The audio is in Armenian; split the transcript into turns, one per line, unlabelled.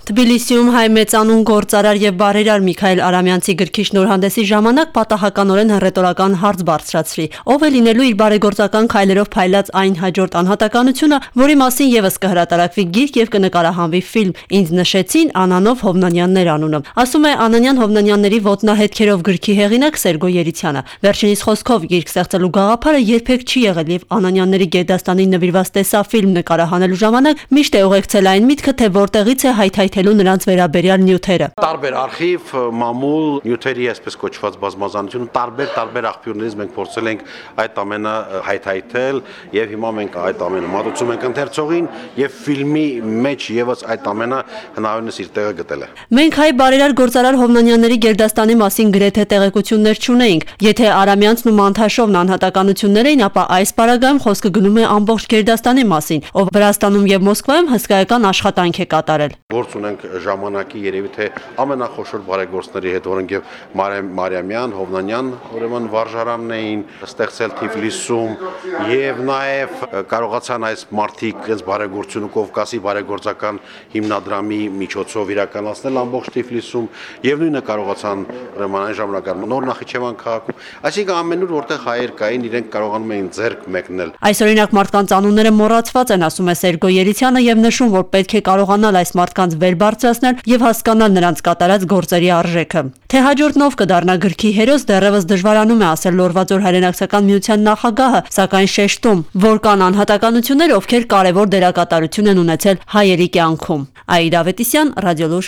Թբիլիսիում հայ մեծանուն գործարար եւ բարերար Միքայել Արամյանցի գրքի շնորհանդեսի ժամանակ պատահականորեն հռետորական հարց բարձրացրի. ով է լինելու իր բարեգործական քայլերով փայլած այն հաջորդ անհատականությունը, որի մասին եւս կհրատարակվի գիրք եւ կնկարահանվի ֆիլմ։ Ինձ նշեցին Անանով Հովնանյաններ անունը։ Ասում է Անանյան Հովնանյանների ոտնահետքերով գրքի հեղինակ Սերգո Երիցյանը։ Վերջինիս խոսքով գիրք ստեղծելու գաղափարը երբեք չի եղել եւ Անանյանների գերդաստանին նվիրված տեսաֆիլմ նկարահանելու ժամանակ միշտ է ուղեկցել այն միտքը, թե որտեղից է հայթայթելու նրանց վերաբերյալ նյութերը։
Տարբեր արխիվ, մամուլ, նյութերի այսպես կոչված բազմազանությունը տարբեր աղբյուրներից մենք փորձել ենք այդ ամենը հայթայթել եւ հիմա մենք այդ ամենը մատուցում ենք ընթերցողին եւ ֆիլմի մեջ եւս այդ ամենը հնարավորինս իր տեղը գտել է։
Մենք հայ բարերար գործարար Հովնանյանների գերդաստանի մասին գրեթե տեղեկություններ չունեինք։ Եթե Արամյանցն ու Մանթաշովն անհատականություններ էին, ապա այս պարագայում խոսքը գնում է ամբողջ գերդաստանի մասին, ով Վրաստանում եւ Մոսկվայում հսկայական աշխատանք է կատարել։
Գործ ունենք ժամանակի երևի թե ամենախոշոր բարեգործների հետ, որոնք եւ Մարիամյան, Հովնանյան, ուրեմն վարժարանն էին ստեղծել Թիֆլիսում եւ նաեւ կարողացան այս մարդիկ իրենց բարեգործությունը Կովկասի բարեգործական հիմնադրամի միջոցով իրականացնել ամբողջ Թիֆլիսում եւ նույնը կարողացան ուրեմն այն ժամանակահատվածում Նոր Նախիջևան քաղաքում, այսինքն ամենուր որտեղ հայեր կային, իրենք կարողանում էին ձեռք մեկնել։
Այս օրինակ մարդկանց անունները մոռացված են, ասում է Սերգո Երիցյանը եւ նշում, որ պետք է կարողանալ այս մարդկանց վեր բարձրացնել եւ հասկանալ նրանց կատարած գործերի արժեքը։ Թե հաջորդն ով կդառնա գրքի հերոս դեռևս դժվարանում է ասել Լորվաձոր հայրենական միության նախագահը, սակայն շեշտում, որ կան անհատականություններ, ովքեր կարևոր դերակատարություն են ունեցել հայերի կյանքում։ Աիդա Ավետիսյան, Ռադիոլուր։